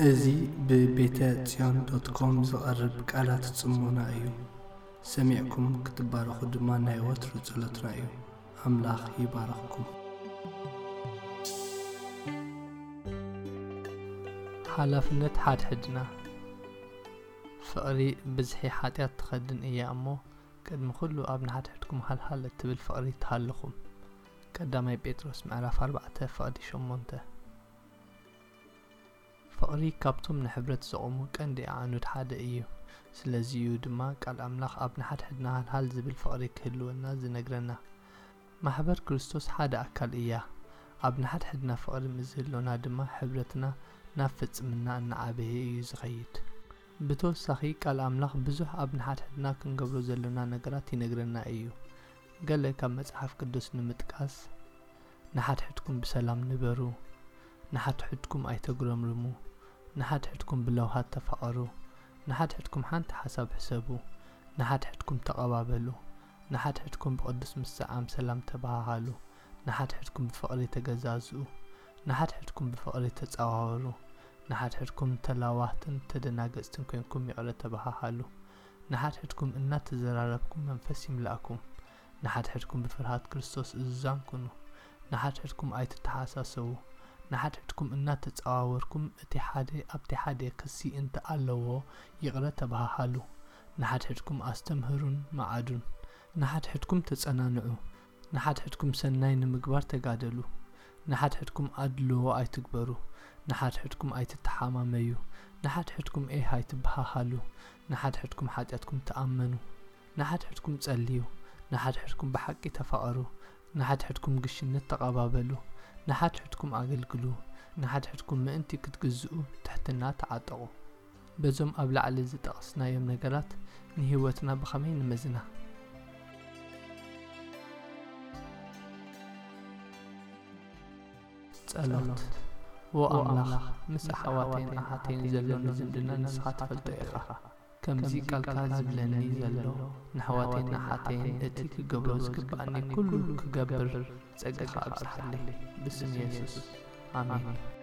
እዚ ብቤተ ጽዮን ዶት ኮም ዝቐርብ ቃላት ጽሞና እዩ። ሰሚዕኩም ክትባረኹ ድማ ናይ ወትሩ ጸሎትና እዩ። ኣምላኽ ይባርኽኩም። ሓላፍነት ሓድሕድና። ፍቕሪ ብዝሒ ሓጢኣት ትኸድን እያ እሞ፣ ቅድሚ ኩሉ ኣብ ንሓድሕድኩም ሃልሃል እትብል ፍቕሪ ትሃልኹም። ቀዳማይ ጴጥሮስ ምዕራፍ ኣርባዕተ ፍቕዲ ሸሞንተ። ፍቕሪ ካብቶም ንሕብረት ዘቑሙ ቀንዲ ኣዕኑድ ሓደ እዩ። ስለዚ እዩ ድማ ቃል ኣምላኽ ኣብ ንሓድሕድና ሃልሃል ዝብል ፍቕሪ ክህልወና ዝነግረና። ማሕበር ክርስቶስ ሓደ ኣካል እያ። ኣብ ንሓድሕድና ፍቕሪ ምስ ዝህልወና ድማ ሕብረትና ናብ ፍጽምና እናዓበየ እዩ ዝኸይድ። ብተወሳኺ ቃል ኣምላኽ ብዙሕ ኣብ ንሓድሕድና ክንገብሮ ዘሎና ነገራት ይነግረና እዩ። ገለ ካብ መጽሓፍ ቅዱስ ንምጥቃስ፣ ንሓድሕድኩም ብሰላም ንበሩ፣ ንሓድሕድኩም ኣይተጉረምርሙ፣ ንሓድሕድኩም ብለውሃት ተፋቐሩ፣ ንሓድሕድኩም ሓንቲ ሓሳብ ሕሰቡ፣ ንሓድሕድኩም ተቐባበሉ፣ ንሓድሕድኩም ብቕዱስ ምስዓም ሰላም ተበሃሃሉ፣ ንሓድሕድኩም ብፍቕሪ ተገዛዝኡ፣ ንሓድሕድኩም ብፍቕሪ ተጸዋወሩ፣ ንሓድሕድኩም ተላዋህትን ተደናገጽትን ኮንኩም ይቕረ ተበሃሃሉ፣ ንሓድሕድኩም እናተዘራረብኩም መንፈስ ይምላእኩም፣ ንሓድሕድኩም ብፍርሃት ክርስቶስ እዙዛን ኩኑ፣ ንሓድሕድኩም ኣይትተሓሳሰቡ፣ ንሓድሕድኩም እናተጸዋወርኩም እቲ ሓደ ኣብቲ ሓደ ክሲ እንተ ኣለዎ ይቕረ ተበሃሃሉ፣ ንሓድሕድኩም ኣስተምህሩን መዓዱን፣ ንሓድሕድኩም ተጸናንዑ፣ ንሓድሕድኩም ሰናይ ንምግባር ተጋደሉ፣ ንሓድሕድኩም ኣድልዎ ኣይትግበሩ፣ ንሓድሕድኩም ኣይትተሓማመዩ፣ ንሓድሕድኩም ኤህ ኣይትበሃሃሉ፣ ንሓድሕድኩም ሓጢኣትኩም ተኣመኑ፣ ንሓድሕድኩም ጸልዩ፣ ንሓድሕድኩም ብሓቂ ተፋቐሩ፣ ንሓድሕድኩም ግሽነት ተቐባበሉ፣ ንሓድሕድኩም ኣገልግሉ፣ ንሓድሕድኩም ምእንቲ ክትግዝኡ ትሕትና ተዓጠቑ። በዞም ኣብ ላዕሊ ዝጠቐስናዮም ነገራት ንህይወትና ብኸመይ ንመዝና? ጸሎት። ዎ ኣምላኽ፣ ምስ ኣሕዋተይን ኣሓተይን ዘሎኒ ዝምድና ንስኻ ትፈልጦ ኢኻ። ከምዚ ቃልካ ዝብለኒ ዘሎ፣ ንኣሕዋተይን ኣሓተይን እቲ ክገብሮ ዝግብኣኒ ኩሉ ክገብር ጸጋኻ ኣብዝሓለይ። ብስም የሱስ፣ ኣሜን።